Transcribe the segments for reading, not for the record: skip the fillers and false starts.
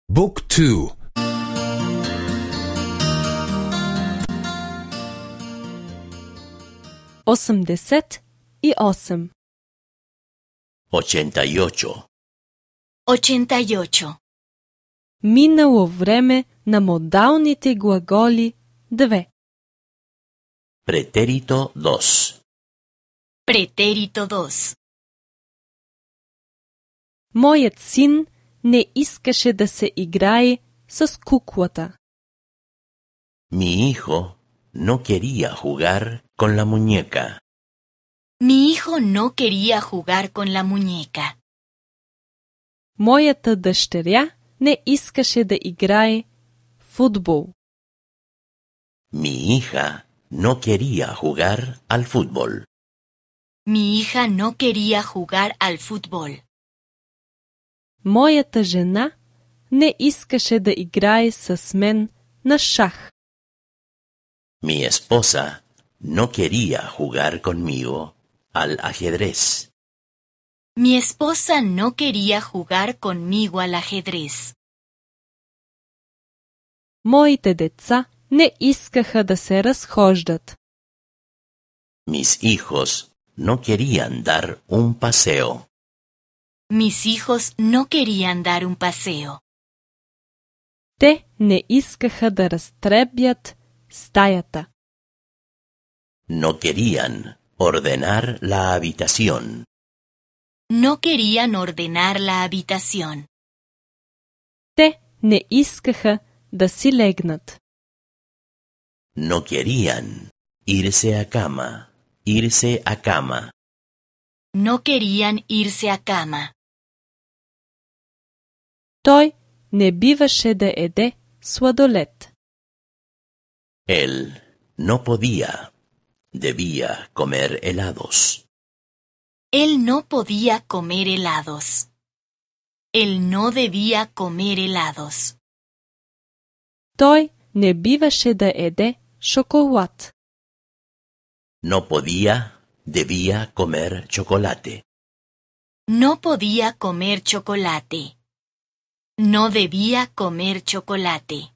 بوك تو 88 88. 88. Минало време на модалните глаголи 2. Pretérito 2. Pretérito 2. Моят син не искаше да се играе с куклата. Mi hijo no quería jugar con la muñeca. Mi hijo no quería jugar con la muñeca. Моята дъщеря не искаше да играе футбол. Mi hija no quería jugar al fútbol. Mi hija no quería jugar al fútbol. Моята жена не искаше да играе с мен на шах. Mi esposa no quería jugar conmigo al ajedrez. Mi esposa no quería jugar conmigo al ajedrez. Моите деца не искаха да се разхождат. Mis hijos no querían dar un paseo. Mis hijos no querían dar un paseo. Те не искаха да разтребят стаята. No querían ordenar la habitación. No querían ordenar la habitación. Те не искаха да си легнат. No querían irse a cama, irse a cama. No querían irse a cama. Той не биваше да еде сладолед. Él no podía, debía comer helados. Él no podía comer helados. Él no debía comer helados. Той не биваше да еде шоколад. No podía, debía comer chocolate. No podía comer chocolate. No debía comer chocolate.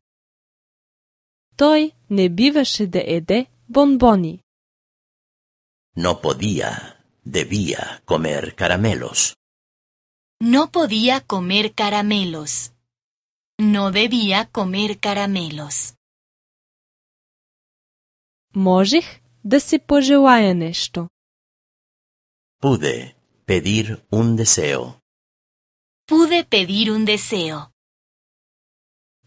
Той не биваше да еде бонбони. No podía, debía comer caramelos. No podía comer caramelos. No debía comer caramelos. Можех да си пожелая нещо. Pude pedir un deseo. Pude pedir un deseo.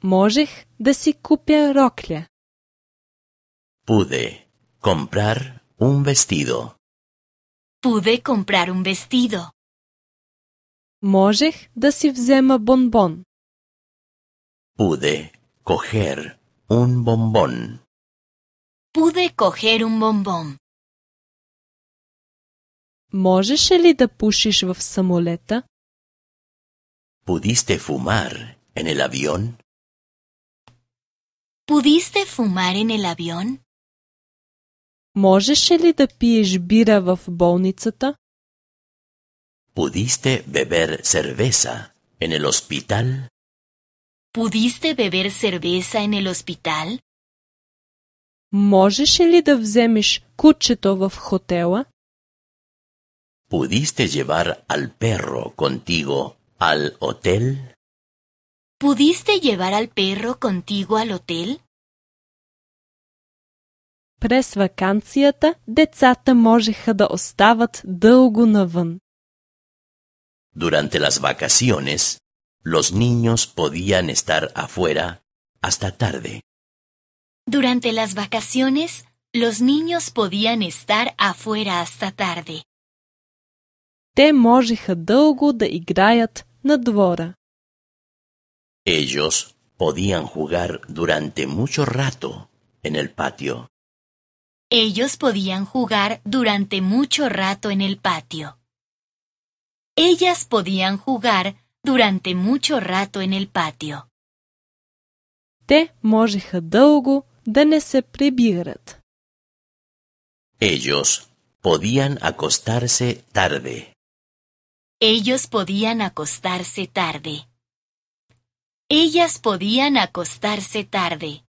Можех да си купя рокля. Pude comprar un vestido. Pude comprar un vestido. Можех да си взема бонбон. Pude coger un bombón. Pude coger un bombón. Можеше ли да пушиш в самолета? ¿Pudiste fumar en el avión? ¿Pudiste fumar en el avión? Можеше ли да пиеш бира в болницата? ¿Pudiste beber cerveza en el hospital? ¿Pudiste beber cerveza en el hospital? Можеше ли да вземеш кучето в хотела? ¿Pudiste llevar al perro contigo al hotel? ¿Pudiste llevar al perro contigo al hotel? През ваканцията децата можеха да остават дълго навън. Durante las vacaciones, los niños podían estar afuera hasta tarde. Durante las vacaciones, los niños podían estar afuera hasta tarde. Те можеха дълго да играят на двора. Ellos podían jugar durante mucho rato en el patio. Ellos podían jugar durante mucho rato en el patio. Ellas podían jugar durante mucho rato en el patio. Те можеха дълго да не се прибират. Ellos podían acostarse tarde. Ellos podían acostarse tarde. Ellas podían acostarse tarde.